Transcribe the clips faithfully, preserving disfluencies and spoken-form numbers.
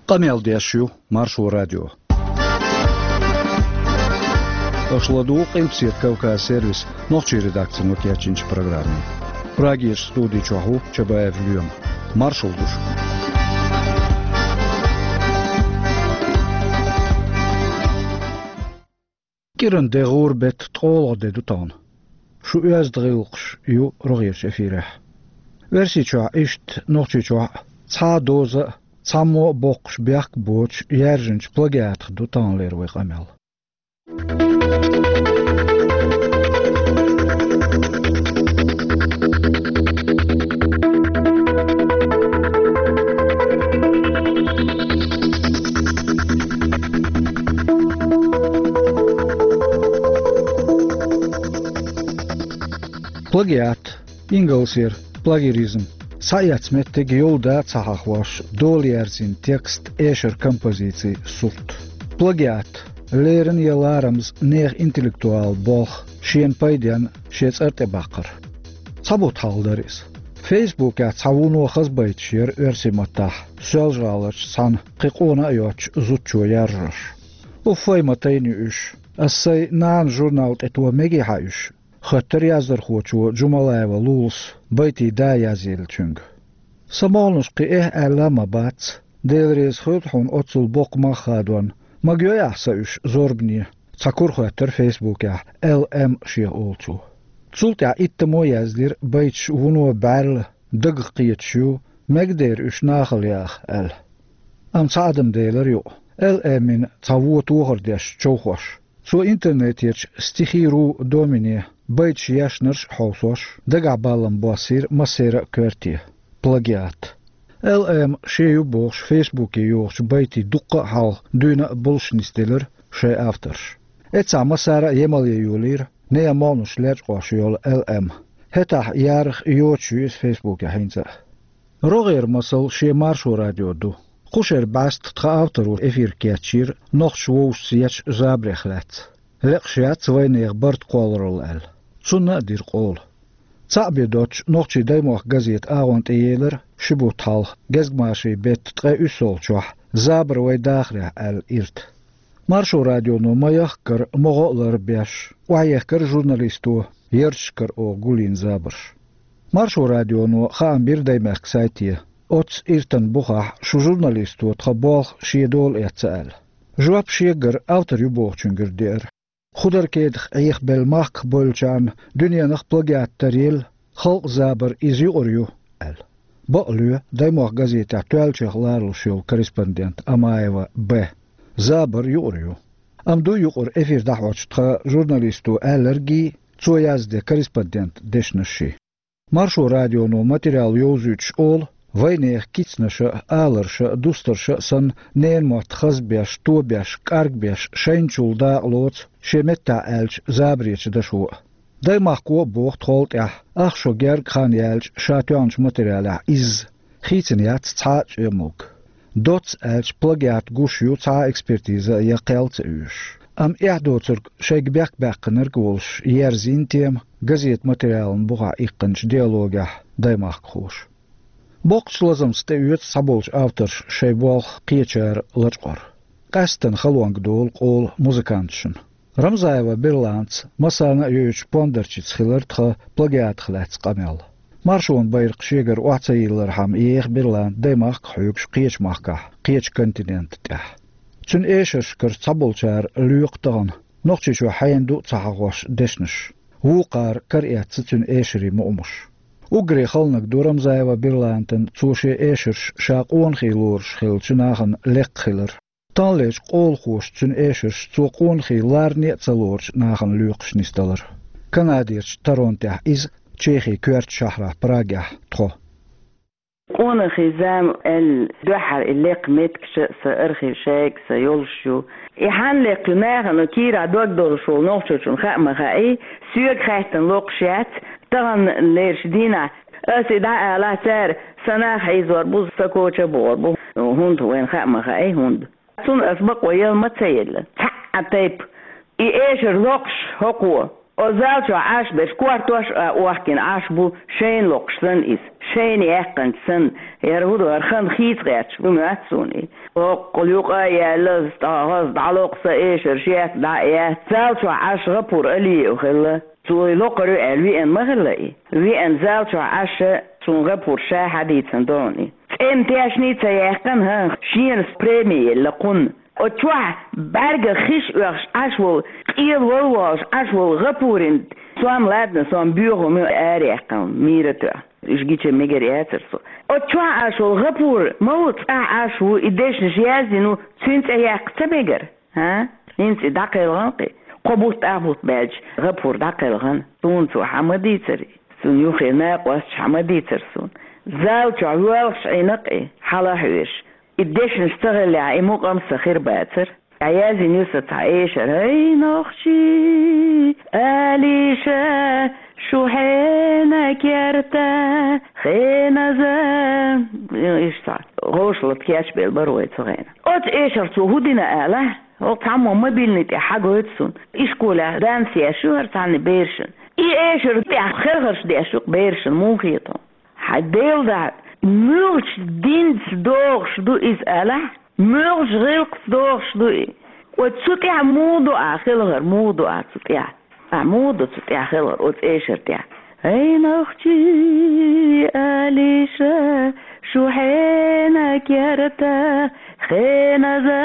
Къамел деш ю Маршо радио. Аша ладугӀу Къилбаседа Кавказ сервисан нохчийн редакцино кечйинчу программе. Прагерчу студи чохь ву Чабаев Лоьма. Маршалла ду шуьга. КӀиранан де гӀура беттан ткъолгӀа де ду тахана. Шун оьзда гӀиллакхаш ю рогӀерчу эфирехь. Оьрсийчохь иштта, Нохчийчохь а цхьа а доза а, цхьаммо а боккхуш бехк а боцуш яьржинчу плагиатах ду таханлера вайн къамел. Плагиат, ингалсера плажиаризм, схьаэцна меттиг йолу да а ца хьахош, дола яьрзина текст, эшар, композици, сурт. Плагиат, леррина я ларамаза нехан интеллектуалан болх, шена пайденна шен цӀар тӀе баккхар. Цхьа бутт хьалха дара иза. Фейсбукехь цхьа вуно хаза байташ яра оьрсийн маттахь, Соьлжа-ГӀаларчу цхьана кхин къона а йоцучу зудчо яржош. «Уффай, ма тайна ю уьш. Ас сайн нанан журнал тӀе то мегий хьан уьш?» — хоьттура яздархочо Джумалаева Лулас, байтийн да язъелла цуьнга. Сан могӀанаш кхин эхь аьлла а ма бац, Дела реза хуьлда хьуна оццул боккха мах хадорна. Магайой ахь сан уьш зорбане? — цхьа кура хоьттура Фейсбукехь Л М шех олучо. Цул тӀаьхьа иттаммо яздира байташ вуно бӀаьрла, дагах кхеташ ю, мегадера уьш нахала яха аьлла. Амма цхьа адам делара юкъа, Л М-ин цхьа вон тохар деш човхош. Цо интернетерчу «Стихи ру» домене байташ ешнарш а хьовсош, дагахь балам боссийра массеран а коьрте. Плагиат. Л М шен ю бохуш Фейсбуке йохучу байтийн дуккха а хьалха дуьйна а болуш нисделира шайн авторш. Эццахь массара а емал ян йолийра нехан могӀанаш лечкъош йолу Л М. ХӀетахь ярах йоцуш ю иза Фейсбукехь хӀинца а. РогӀера масал шен Маршо радио ду. Кху шеран бӀаьста тхан авторо эфир кечйира нохчаша вовшашца ечу забарех лаьцна. Лекъаш яц вайнехан барт кхолларалла аьлла. Цунна а дира къола. Цхьаъ бен доцчу «Нохчийн даймохк» газетан агӀон тӀеелира ши бутт хьалха, гезгмашин беттан ткъе уьссалгӀачохь, «Забар вайн дахарехь» аьлла ирт. Маршо радионо ма-яххара, могӀа а ларбеш, охьаехкира журналисто ярташкара оха гулйина забарш. Маршо радионо хаам бира Даймехкан сайте, оццу иртан бухахь шун журналисто тхан болх шен дола эцна аьлла. Жоп шегара автор ю бохучуьнгара деара. Кху дара кедах Ӏехабелла махках бевллачарна дуьненах плагиат таръелла, халкъан забар иза юкъара ю, аьлла. Бакъ лоь, «Даймохк» газетехь тоьллачех ларалуш йолу корреспондент Амаева Б. Забар юкъара ю. Амма ду юкъара эфир дӀахьочу тхан журналисто аьлларгий, цо язде корреспондентан дешнашший. Маршо радионо материал йовзуьйтуш олу, вайнехан кицнаша а, аларша а, дустарша а санна, ненан мотт хазбеш, тобеш, кӀаргбеш, шайначул дакъа лоцу, шен меттехь аьлча, забаречу дашо а. Даймахко а боху тхол тӀаьхьа, ах шо герга хан яьлча ша тоьхначу материалехь изза, хийцина яц цхьа а цӀоьмалг. Доцца аьлча, плагиат гуш ю цхьа а экспертиза я кхел ца оьшуш. Амма эхь доцург шайга бехк баьккхинарг а волуш, ерзийна тема газетан материалан бухахь иккхинчу диалогехь даймахкахоша. Боккхачу лазамца тӀеоьцу цхьаболчу авторша шайн болх кхечара лачкъор. Къаьсттина халонга долу къола музыканташна. Рамзаева Берланца, массарна а йойтуш, Пондарчица хилира тхан плагиатах лаьцна къамел. Маршонан байракх шегара охьа ца йиллархьама, еха Берланта даймахка а хьоьгуш кхечу махкахь, кхечу континента тӀехь. Цуьнан эшаршкара цхьаболчара лоькху тахана, Нохчийчохь хьенан ду а ца хьахош, дешнаш. Вукхара караэцна цуьнан эшарийн мукъамаш. Уггаре хала наг ду Рамзаева Берлантана цо шен эшарш ша къонахий лоруш хиллачу нахана лекха хилар. Таханлерчу къолахоша цуьнан эшарш цо къонахий ларне а ца лоручу нахана лоькхуш нисдалар. Канадерчу Торонтехь иза, Чехин коьртачу шахьарахь Прагехь тхо. Къонахий зама аьлла дуьххьара и лекха меттигаш а сан архив шайга сан йолуш ю. И хьанна лекха ю нахана кийрахь дог долуш волу нохчочунна хаа ма хаьий, соьга хаьттина локхуш яц, таханлерчу дийнахь ас и дӀа а алахь, цара сан нах хьийзор бу, сан коча а бохур бу. ХӀунда вайна хаа ма хаьий, хӀунда. Цунна ас бакъо яла ма ца елла. Цхьа а тайпа. И эшар локхуш хӀокхо. О зал чохь Ӏаш берш, кортош а охкина Ӏаш бу, шайна локхуш санна иза, шайна яьккхинчу санна, яра хӀун ду, хӀара хан хийца гӀерташ бу моьтту суна и. Оккхул юкъа а яьлла, ас тӀе хаза дӀалокху сан эшар шек дӀа а яц. Зал чохь Ӏаш ГӀапур Алиев хилла. Цо и локхур ю аьлла веана ма хилла и. Веана зал чохь Ӏаш, суна ГӀапур ша хьадийцина догӀу и. ЦӀена тешний ца яьккхина, хӀан, шена преми елла кхунна. Оцу чохь бӀаьргах хиш оьхуш Ӏаш волу, къелавала волуш Ӏаш волу ГӀапурин, сом ладна, сом боьха хӀума ю, араяьккхина мийра тоьхна. Уьш гича мегар яцара со. Оцу чохь Ӏаш волу ГӀапур ма ву цӀахь Ӏаш ву, и дешнаш яздина ву, цуьнан цӀе яккха ца мегара? ХӀа? ХӀинца и дӀакхелхина кхин. Кхо бутт, ах бутт баьлча ГӀапур дӀакхелхина. Суна цо хьан ма дийцара и. Цунна юххе накъосташа хьан ма дийцара суна. Зал чохь воьлхуш Ӏийна кхин, хьала а хьоьжуш. И дешнаш ца хиллехь, и мукъам сан хир бацара. Ӏа яздина ю сан цхьа эшар: «ХӀай, нохчий, алиша, шу хьенан керта, хеназа». Иштта цхьа гӀовшалла кечбелла бара вай цу хенахь. Оцу эшарца хӀун дина алахь? ХӀокху цхьаммо мобильни тӀехь хьагойту суна. Ишколехь данс еш ю хӀара цхьанна берашна. И эшар тӀехь хелхарш деш ю-кх берашна, муха хета хьуна? Хьайн Делан дуьхьа, муьлхачу динца догӀуш ду иза алахь? Муьлхачу гӀиллакхца догӀуш ду и? Вай цу тӀехь муха ду ахь хелхар, муха ду ахь цу тӀехь? Ахь муха ду цу тӀехь хелхар, оцу эшар тӀехь? «ХӀай, нохчий, алиша, шу хьенан керта, хеназа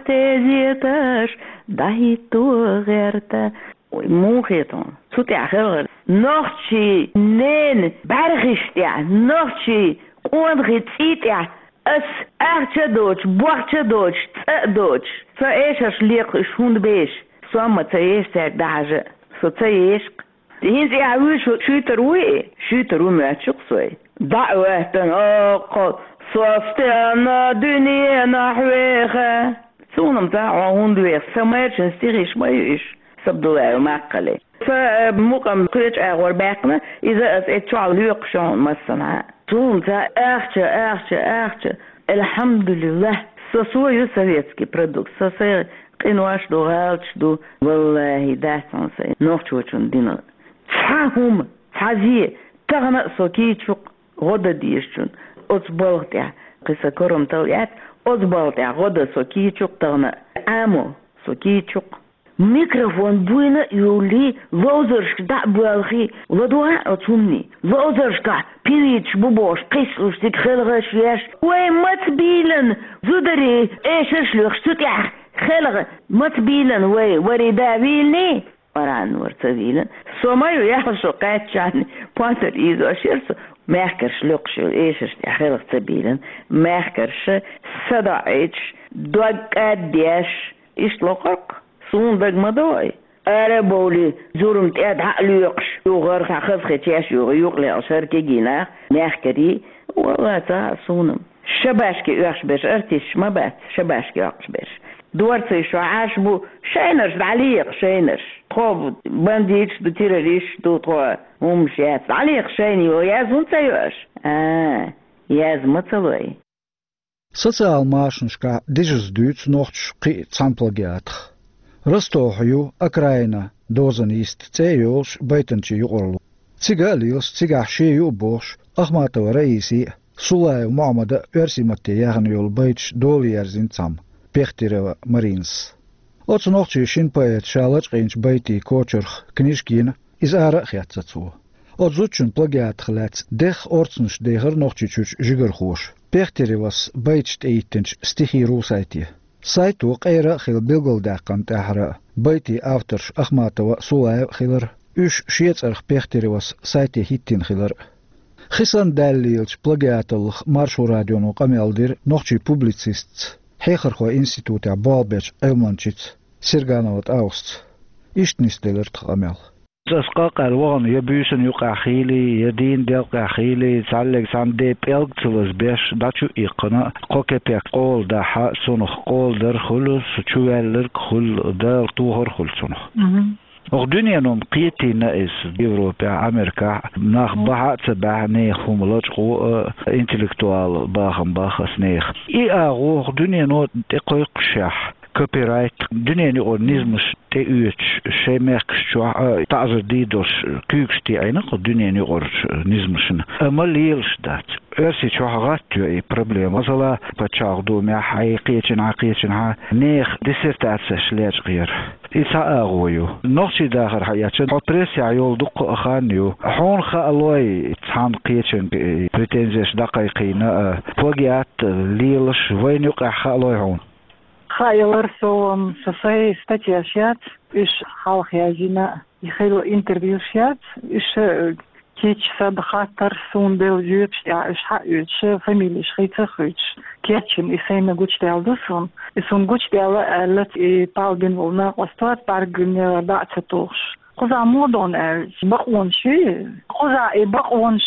тезеташ дӀахӀитто гӀерта». Ой, муха хета хьуна? Цу тӀехь хелхар нохчий ненан бӀаьрхиш тӀехь, нохчий къонахий цӀий тӀехь ас ахча а доцуш, бохча а доцуш, цӀа а доцуш, сан эшарш лекха уьш хӀунда беша? Со ма ца еша цаьрга дӀахьажа а, со ца еша-кх. ХӀинца и ахь вуьйцуш шуьйтур вуй и? Шуьйтур ву моьттуш-кх со и. ДӀа а хӀоьттина, оккхул со стенна дуьненахь веха. Суна-м ца хьо хӀунда веха, сан майрачун стихиш ма ю уьш, Сабдулаев Маккхалин. Сан, э, мукъам кхечу агӀор баьккхина, иза аса эцу чохь лоькхуш ю хьуна массанхьа. Суна ца ахча, ахча, ахча. Элхьамдулиллах, со, со ю советский продукт, со, сайн къинош ду, гӀалаташ ду. Валлахи, дац хьуна сайн нохчочун дина цхьа хӀума, цхьа зе, тахана а со кийчу-кх гӀо дан дезачун оцу балха тӀехь, кхин сан корам талла яц, оцу балха тӀехь гӀо дан со кийчу-кх тахана а, Ӏамо со кийчу-кх. Микрофон буйна а юллий, ловзаршка дӀа а боьлхий, ладогӀа оцу хӀуманийн. Ловзаршкахь певицаш бу бохуш, кхиссалуш цига хелхарш еш. Вай маца бийлан, зударий эшарш лоькхуш цу тӀехь хелха маца бийлан вай, варий да вийланий? Къуръан вара ца вийлан. Со ма ю, яхьа шо кхаьччахьана, понтар ийзош яра со. Мехкарша лоькхуш йолу эшарш тӀехь хелха ца бийлан. Мехкарша садоӀийчаш, дог кӀаддеш, иштта локхург-кх. Суна дага ма догӀий. Ара а бовлий, зурма тӀе дӀа а лоькхуш, юхара хьан хаза хи чеш юха юкъа лелаш хӀара кегий нах, мехкарий, валла, ца хаьа суна-м. Шабашке оьхуш берш артисташ ма бац, шабашке оьхуш берш. Дорций шо Ӏаш бу, шайнарш дӀалеха, шайнарш. Тхо бандиташ ду, террористаш ду, тхо хӀумаш яц. ДӀалеха шайна, йо, яз хӀунда ца йо аша? А, яз ма ца лой. Социал машанашкахь дижаза дуьйцу нохчаша кхин а цхьана плагиатах. Ростовхь ю «Окраина дозан йист» цӀе а йолуш байтанчийн юкъарло. Цига а лелаш, цигахь шен ю а бохуш, Ахматова Раисин а, Сулаев Мухьаммадан а оьрсийн матте яьхна йолу байташ дола ерзийна цхьамма, Пехтерева Маринас. Оцу нохчийн шина поэта ша лачкъийначу байтийн кочарах книжка йина, иза ара а хецна цо. Оцу зудчун плагиатах лаьцна дехха орцанаш дехира Нохчийчуьрчу жигархоша Пехтеревас байташ тӀеиттинчу стихийн ру-сайте. Сайто къера а хилла билгалдаьккхина тӀаьххьара, байтийн авторш Ахматова а, Сулаев а хилар, уьш шен цӀарах Пехтеревас сайте хӀиттийна хилар а. Хи санна даьлла лелачу плагиаталлах Маршо радионо къамел дира нохчийн публицистца, Хьехархойн институтехь болх бечу Ӏилманчица Серганова ТӀаусца. Иштта нисделира тхан къамел. Ас къа-къаьлла вахана, я буьйсанна юкъахь хийлий, я дийнан делкъехь хийлий, цхьаьллиг цхьана де пӀелг ца лазабеш, дӀа чу а иккхина, кхо кепек къола дахь, цунах къола дар хуьлу, со чуваьлларг хуьлу, Дала тохар хуьлу цунах. Мгм. Оха дуьнено-м кхетийна иза, Европехь, Америкахь, нах бахьа а ца баьхьа, нехан хӀума лачкъо а, интеллектуал бахам боху аса нехан. И агӀо оха дуьнено тӀекхойкхушехь, копирайт, дуьненан юкъара низамаш тӀеоьцуш, шайн мехкаш чохь а таӀзар дийр долуш куьйгаш тӀеӀаьхкина кху дуьненан юкъарчу низамашна. Амма лелаш дац. Оьрсийчохь гӀатта ю и проблема. Масала, пачхьалкхан думехь, хьайн кхечанхьа, кхечанхьа нехан диссертацеш лечкъаяр. И цхьа агӀо ю. Нохчийн дахар хьаэцча, хьо прессехь йолу дуккха а хан ю. Хьуна хаалой, цхьана кхечанга и претензеш дӀакхайкхийна, а, плагиат лелаш вайна юкъахь хаалой хьуна? Хаалар, со, м, со сайн статьяш яц, уьш хьалха яздина, и хилла интервьюш яц, уьш, э, кечса хаттар суна делла жоьпаш тӀехь уьш хьаоьцуш, фамилеш хийца а хуьйцуш, кечйина и сайна гучудаьлла ду суна. И суна гучудаьлла аьлла, и палдина волу накъост вац, бӀаьрган ялар дӀа а ца тухуш. Кхузахь муха ду аьлча, бакъонаш ю. Кхузахь и бакъонаш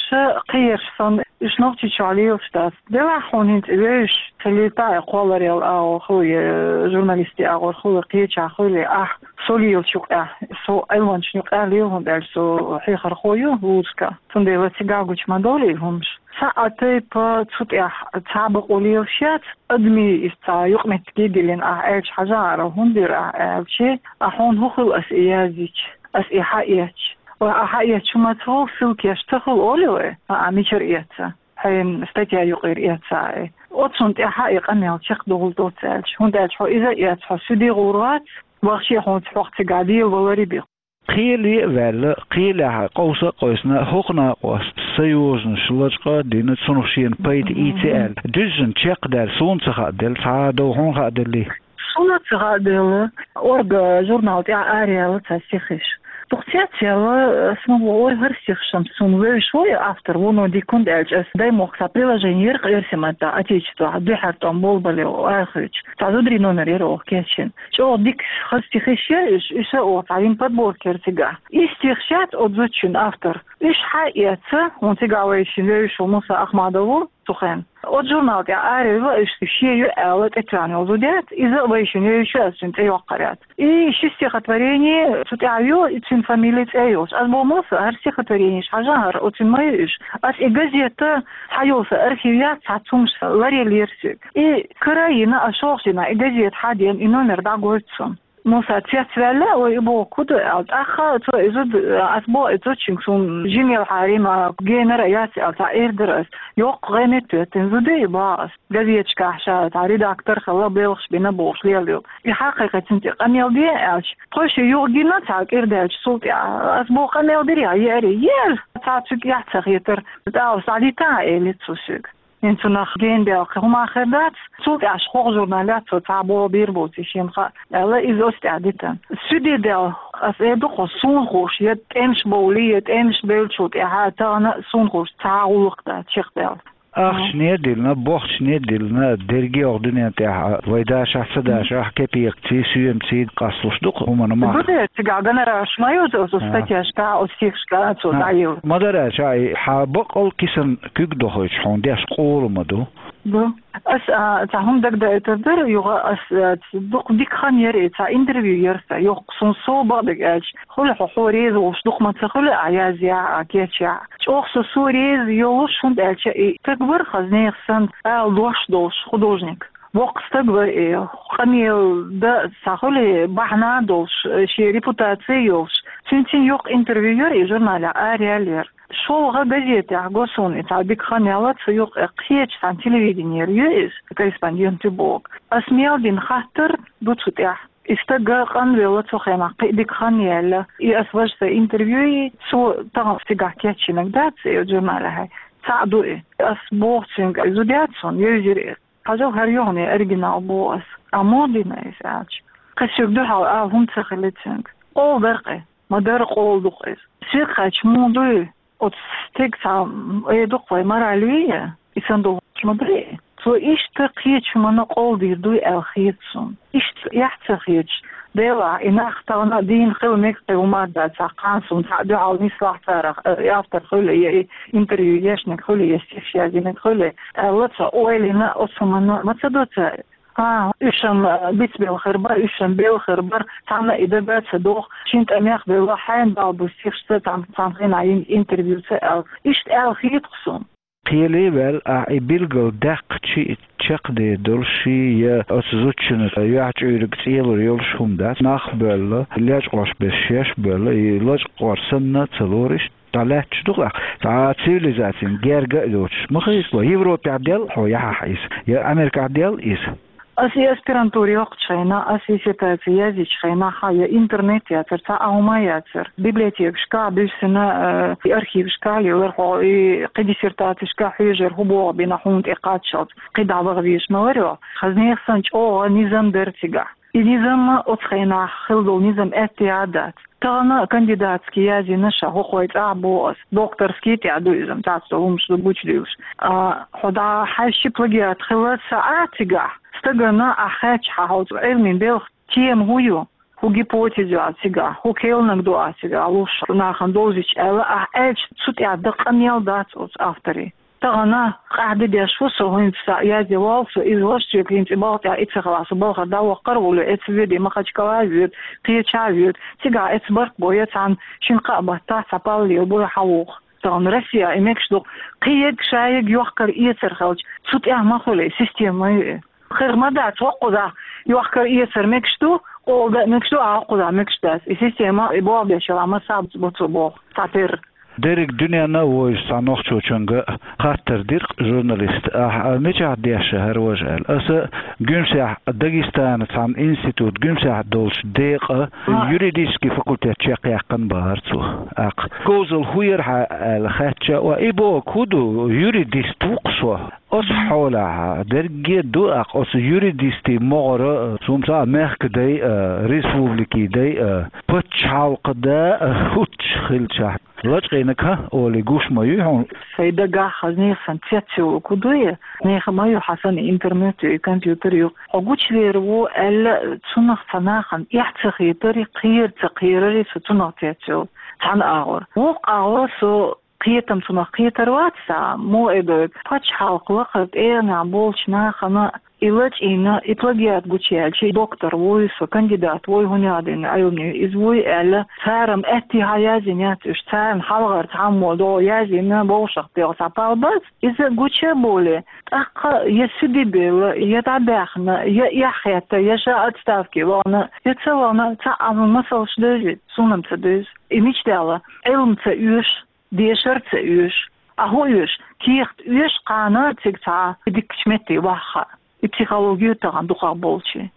кхераш санна, уьш Нохчийчохь лелаш дац. Делахь хьуна хӀинца и вевзаш, ца лийтахь а, кхолларел агӀор хуьлу, э, журналистийн агӀор хуьлу, кхечахь хуьлу, ахь со лелачу юкъахь, со Ӏилманчашна юкъахь лела, хӀунда аьлча со хьехархо ю вузашкахь. Цундела цигахь гучу ма довлий хӀумаш. Цхьа а тайпа цу тӀехь цхьа а бакъо лелаш яц, адамийн иза цхьа юкъаметтиге диллина ахь аьлча хьажахьара, хӀунда дира ахь аьлча, а хьуна хӀун хуьлу ас и яздича, ас и хьаэцча. Вай, а хьаэцча хӀума ца хуьлу, ссылкеш ца хуьлу олий вай, а, а мичара эцца? Хьайн статья юкъара эцца и. Оцунна тӀаьхьа и къамел чекхдовла доцу аьлча, хӀунда аьлча хьо иза а эцна, хьо суьде гӀур вац, вахче хьуна хьох цигахь дела валаре бен. Кхеле а ваьлла, кхелехь къовса а къовсина, хӀокху накъост союзанаш лачкъа а дина, цунах шена пайда ийци аьлла. Дуьззина чекхдаьлла, суна ца хааделла, цхьа а дов хьуна хааделлий? Суна ца хааделла, «Орга» журнал тӀехь араяьлла цхьа стихаш. Дукха цецъяьлла, ас ма боху, ой, хӀара стихаш-м суна вевзаш ву и автор, вуно дика, хӀунда аьлча ас Даймохк цхьа приложение яра-кх оьрсийн маттахь, Отечествохь, дуьххьара тӀом болу бале, ой, охьахуьйцуш. Цхьа зударийн номер яра оха кечйина. ЧӀогӀа дика хаза стихаш яра уьш, уьш а оха цхьа йина подборка яра цигахь. И стихаш яц оцу зудчун автор. Уьш хьаэцна, хӀунда цигахь вайшинна вевзаш ву Муса Ахмадов ву цу хенахь. Оцу журнал тӀехь араяьлла уьш, шен ю аьлла тӀетоьхна йолу зуда яц, иза а вайшинна вевзаш ю, ас цуьнан цӀе йоккхур яц. И ши стихотворение цу тӀехь ю, и цуьнан фамили, цӀе а йолуш. Ас боху, Муса, хӀара стихотворенеш хьажахьара, оцуьнан ма ю уьш. Ас и газета, цхьа йолу сан архив яц, цхьацца хӀумнаш сан ларъеллера соьга. И кара а йина, ас шолгӀа дийнахь и газета хьадеана, и номер дӀагойту суна. Муса цецваьлла, ой, и боху, хӀун ду аьлла. ТӀаккха цо и зуда, ас боху и зудчуьнга, суна жима елхьара ма генара яц аьлла, цхьа эр дара ас. Йоккха гӀеметтоьттина зуда и, боху ас. Газеташкахь ша цхьа редактор хилла, белхаш бина бохуш лелайо. И хьакхайкхи, цуьнан тӀе къамел де аьлча, тхойша юха гина цхьа кӀира даьлча цул тӀаьхьа. Ас боху, къамел дирий, еарий? Ера! Цхьа цуьнга эхь ца хетара, тӀаккха схьадита элира цо соьга. ХӀинца цунах гена даьлла кхин хӀума хир дац, цул тӀаьхьа хӀокху журналехь цо цхьа боху бийр боций шена хаьа, аьлла, иза оцу тӀехь дитина. Суьде даьлла, ас эр ду-кх, суна хууш, я тӀемаш бовлий, я тӀемаш бевллачул тӀаьхьа тахана а суна хууш цхьа а гӀуллакх дац чекхдаьлла. Ахчане а диллина, бохчане а диллина, дерриге а оха дуьнен тӀехь а, вай дашахь, ца дашахь, кепекаций, соьмаций къасталуш ду-кх хӀуманан мах. Ду де, цигахь гонорарш ма ю оцу статьяшкахь, оцу стихашкахь цо дӀайилла. Ма-дарра аьлча, хьан баккъал кисана куьг дохуьйтуш хьуна деш къола ма ду. Ду. Ас, а, цхьа хӀума дагадайтар дара, юха ас, а, дукха дика хан яра и, цхьа интервью яра сан, йоккха, суна сов бакъдерг аьлча, хуьлу хьо, хьо реза волуш дукха ма ца хуьлу, а язъяхь, а кечъяхь. ЧӀогӀа со, со реза йолуш, хӀунда аьлча и стаг вара хаза, нехан санна ала дош долуш художник. Воккха стаг вара и, къамел дан цхьа хуьлу бахьана долуш, шен репутаци йолуш. Цуьнца йоккха интервью яра и, журналехь араяьлла яра. ШолгӀа газетехь го суна и, цхьа дика хан яьлла цу юкъа, кхечу цхьана телевиденера ю иза, корреспондент ю боху. Ас мел дина хаттар ду цу тӀехь. И стаг къанвелла цу хенахь, кхин а дика хан яьлла. И ас важа сан интервью, и цо тахана цигахь кечйинарг дац и журналехь. Цхьаъ ду и. Ас боху цуьнга, и зуда яц хьуна, евзира и. Хьажал, хӀара ю хьуна и оригинал, боху ас. А муха дина иза аьлча, кхин соьга дуьхьал ала хӀума ца хили цуьнга. Къола дара-кх и. Ма-дарра къола ду-кх иза. Соьга хаьттича, муха ду и? Оцу стеган цхьа, м, эр ду-кх вай, мораль вий, и санна долуш ма ду и. Цо иштта кхечу хӀуманна къола дийр дуй аьлла хета суна. Иштта эхь ца хеташ, делахь, и нах тахана а дийна хила мега кхин хӀума а дац, цхьа кхана суна цхьаъ дуьхьал нислахь царах, э, и автор хуьлу, я и интервью ешнарг хуьлу, я стихаш яздинарг хуьлу, аьлла, цо ойла йина, оцу хӀуманна ма ца до цара. ХӀан, уьш-м, э, бицбелла хир бара, уьш-м белла хир бара, цхьанна а и дага а ца доху, шина тӀамех белла, хьайна бала бу стихашца, цхьана, цхьана хенахь йина интервьюца аьлла. Иштта аьлла хета-кх суна. Кхеле а ваьлла, ахь и билгал даьккхача, чакхде долуш я оцу зудчунна юьхьчуьйриг цӀелур йолуш хӀума дац, нах а боьлла, лечкъош берш шаьш а боьлла, и лачкъор санна ца лориш, дӀалаьтташ ду-кх ахь, цхьа цивилизацин герга а доцуш. Ма хеза, Европехь делла хьо яхьахь иза, я Америкахь делла иза. Аса и аспирантура йоккхучу хенахь, аса диссертаци язйичу хенахь, я интернет яцара, цхьа а хӀума яцара. Библиотекашкахь буьссина, э, и архивашкахь лелара хьо, и кхин диссертацешкахь хьоьжура, хӀун боху бина хьуна тӀе кхаччалц, кхидӀа ваха везаш ма вара хьо. Хаза нехан санна чӀогӀа низам дара цигахь. И низам оцу хенахь хилла долу низам аьттехьа а дац. Тахана кандидатский язйина ша, хӀокху вайн цӀахь боху ас, докторский тӀехь ду иза, цхьацца долу хӀуманаш ду гучудуьйлуш. А, хьо дӀа хьаьжча плагиат хилла ца Ӏа цигахь, стагана ахь хаьттича хьан хьо цу Ӏилмин белхан тема хӀун ю, хӀун гипотеза ю ахь цигахь, хӀун керланиг ду ахь цигахь луш, нахана довзийта аьлла, ахь аьлча, цу тӀехь дан къамел дац оцу авторийн. Тахана къахьде деш ву со, хӀинца язде воллу со, иза ваша соьга хӀинца и балха тӀехь и ца хилахь, со балхара дӀаваккхар а волу, эцца воьду, Махачкала а воьду, кхечахьа а воьду. Цигахь эцца барт бо я цхьана шина-кхаа баттахь цхьа паллел бо я хьан вуху. Тахана Россехь и мегаш ду, кхин ерг ша ерг йохкар-эцар хилча, цу тӀехь ма хуьлу и, система ма ю и. Хир ма дац, хӀокхузахь йохкар-эцар мегаш ду, къола дан а мегаш ду, а хӀокхузахь мегаш дац. И система, и болх беш хилахь, массо а бу цо боху, цхьатерра. Дерриг дуьненна а вовзаш цхьа нохчочуьнга хаттар дира-кх журналиста, ахь мичахь дешна хӀара важа аьлла. Аса Гуьмсехь, Дагестана цхьана институт Гуьмсехь долчу декъан юридический факультет чекхъяьккхина бахара цо. ТӀаккха говзалла хӀун яра хьан аьлла хаьттича, ва и бохург хӀун ду, юридист ву-кх со. Оцу хьолехь дерриге а ду-кх оцу юристийн могӀара, цунца а мехкан дай а, республикин дай а, пачхьалкхан дай а хӀуттуш хилчахь, лачкъийнарг хӀан олий гуш ма юй хьуна? Сайн дагахь хаза нехан санна цецйолург хӀун ду и? Нехан ма ю хьан санна интернет ю, и компьютер ю. Хьо гучулер ву аьлла, цунах цхьа нахана эхь ца хетари, кхера ца кхерари со цунах цецйолу цхьана агӀор. Вукху агӀор со кхетам цунах кхетар вац цхьа, муха эр ду, пачхьалкхан лакхара тӀегӀанехь болчу нахана и лачкъийна, и плагиат гучуяьлча, и доктор вуй со, кандидат вуй, хӀун яздина Ӏилма, иза вуй аьлла, цара-м аьттехьа язйина яц уьш, царна хьалхара цхьаммо догӀу язйина, вовшахтоьхна цхьа пал бац, иза гуча а болий, тӀаккха я суьде белла, я дӀабаьхна, я эхь хетта, я ша отставке вахана, я ца вахана, цхьа а масалш девзий, суна-м ца девза. И мича даьлла? Ӏилма ца оьшу, дешар а ца оьшу. А хӀун оьшу? Кехат оьшу кхана цига цхьа дикачу метте ваха. И психологи ю тахана дукхах болчийн.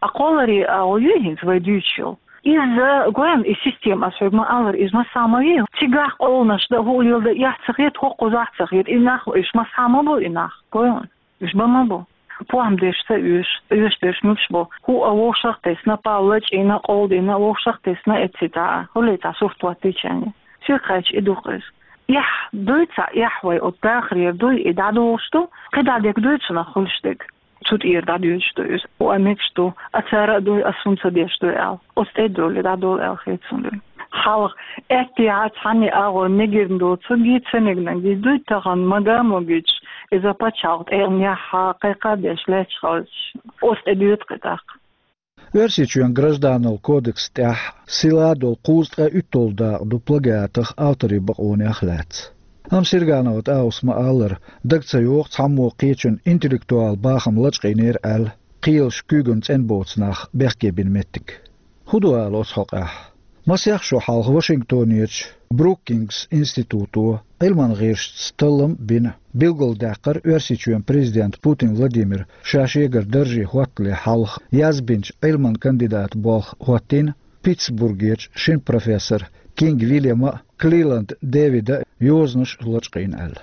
А кхолларий агӀо юй хӀинца вай дуьйцуш йолу? Иза, гой хьуна, и система, ас хьоьга ма-аллара, иза массо а ма вий. Цигахь къовланаш дан, хӀуъа леладан эхь ца хета, хӀокхузахь а ца хета. И нах, уьш массо а ма бу и нах, гой хьуна. Уьш бан ма бу. ПохӀма деш ца оьшу, оьшуш дерш муьлш бу. ХӀуъа вовшах а тесна, пал лачкъийна, къовлдина, вовшах а тесна, эцци цхьа, хӀулле цхьа сурт хӀоттийчарна. Соьга хаьттича, и ду-кх иза. Эхь дуй цхьа, эхь вай оцу дахарера дуй, и дӀадолуш ду, кхидӀа дерг дуй цунах хуьлуш дерг. Цу тӀера дӀадоьдуш ду иза. ХӀуъа мегаш ду, а цара а дуй, ас хӀунда ца деш дуй аьлла. Оцу тӀе а долий, дӀадолу аьлла хета суна дуй. Хьалха аьттехьа цхьанне агӀор мегирна доцург, ца мегнарг дуй, тахана мага а могуьйтуш, иза пачхьалкх тӀегӀанехь кхайкха а деш лаьтташ хилча, оцу тӀе доьду-кх и тӀаккха. Оьрсийчоьнан гражданал кодекс тӀехь сила долу кхузткъе уьтталгӀа дакъа ду плагиатах, авторийн бакъонех лаьцна. Амма Сирганова ТӀаус ма-аллара, дага ца йогӀу цхьаммо кхечун интеллектуал бахам лачкъийнера аьлла, кхелаш куьйгана цӀена боцу нах бехке бина меттиг. ХӀун ду ала оцу хьокъехь? Масех шо хьалха Вашингтонерчу Брукингс институто Ӏилман гӀирсашца таллам а бина, билгалдаьккхира Оьрсийчоьнан президента Путин Владимира ша шегара дарже хӀоттале хьалха язбинчу Ӏилман кандидатан болх хӀоттийна Питтсбургерчу шина профессора Кинг Вильяма а, Клиланд Дэвида а йозанаш лачкъийна аьлла.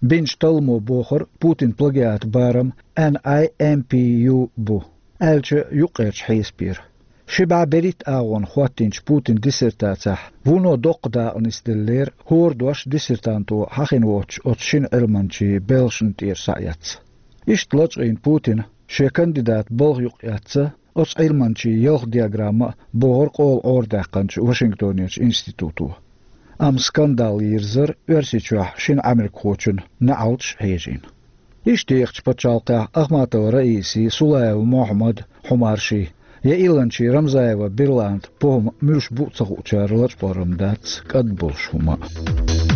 Бинчу талламо бохура Путинан плагиатан барам N I M P U бу, аьлча юккъерчу хьесапера. Ши бӀе берхӀитта агӀонах хӀоттийначу Путинан диссертацехь вуно доккха дакъа нисделлера, хӀора дош диссертанто хьахийна воцучу оцу шина Ӏилманчин белхашна тӀера схьаэцна. Иштта лачкъийна Путина шен кандидатан балха юкъаэцна оцу Ӏилманчин ялх диаграмма а, бохура къола Ӏорадаьккхинчу Вашингтонерчу институто. Амма скандал йирзира Оьрсийчохь шина Ӏамеркахочун неӀалташ хьежийна. Иштта тӀеэцначу пачхьалкхехь Ахматова Раиси, Сулаева Мохьмад, хьо марший, я Ӏиланчин Рамзаева Берланда похӀма муьлш бу а ца хуучара лачкъор-м дац кӀадболуш хӀума а.